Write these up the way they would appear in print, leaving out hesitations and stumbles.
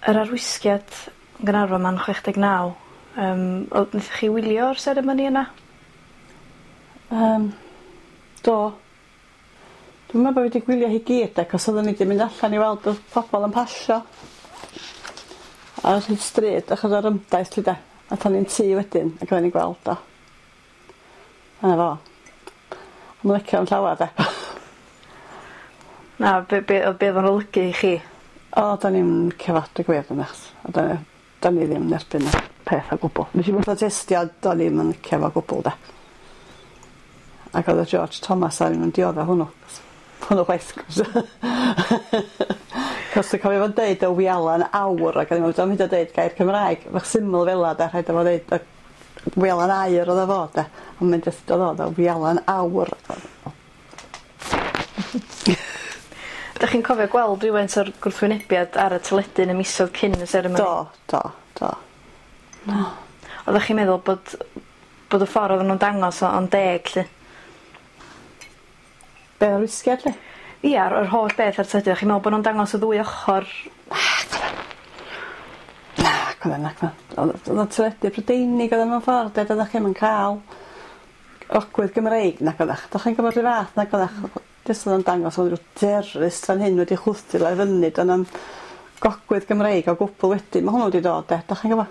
Yr arwisgiad yn Gaernarfon 'ma'n 69 yym o- nethoch chi wylio'r seremoni yna? Yym do. Dwi'm me'wl bo' fi 'di gwylio hi gyd acos oddwn i 'di mynd allan i weld y pobol yn pasio ar hyd stryd achos o'r ymdaith 'lly 'de? Athon ni'n tŷ wedyn ac o'n i'n gweld o. A 'na fo. Dwi'm yn licio 'im llawar 'de. Na be' be' o'dd be' o'dd o'n olygu i chi? O do'n i'm yn licio fo deu gwir o'dd yy do'n i ddim yn erbyn y peth o gwbwl. Nesh i'm protestio do'n i'm yn licio fo gwbwl 'de. Ac o'dd y George Thomas a ddim yn diodda hwnnw. Hwnnw chwaith. 'C'os dwi cofio fo'n deud y wialan aur ag o'n i'n me'wl 'di o'm hyd yn o'd deud gair Cymraeg bach syml fel 'a 'de rhaid o fo ddeud y wialan aur o'dd o fod 'de on' mae'n jyst o'dd o fel wialan aur. 'Dych chi'n cofio gweld rywfaint o'r gwrthwynebiad ar y teledu yn y misoedd cyn y seremoni? Do do do. Do. Oddach chi'n meddwl bod bod y ffor oddan nw'n dangos o yn deg 'lly? Be' o'r wisgiad 'lly? Ia yr holl beth ar teledu o'ch chi'n me'wl bo' nw'n dangos y ddwy ochor? Nac oddan. Nac oddan nac oddan. O'dd o'dd y teledu Prydeinig o'dd o mewn ffordd de doeddach chi'm yn ca'l ogwydd Gymreig nac oddach. Dach chi'n gwbod rhyw fath nag oddach? Jyst o'dd o'n dangos o'dd ryw terrorist fan hyn wedi chwythu fo i fyny do' 'na'm gogwydd Gymreig o gwbwl wedyn ma' hwnnw 'di dod 'de 'dach chi'n gwbo?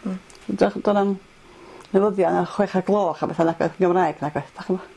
Hmm. Do' 'na'm newyddion ar chwech o'r gloch a betha nag oedd Gymraeg nag oedd 'dach ch'mo'?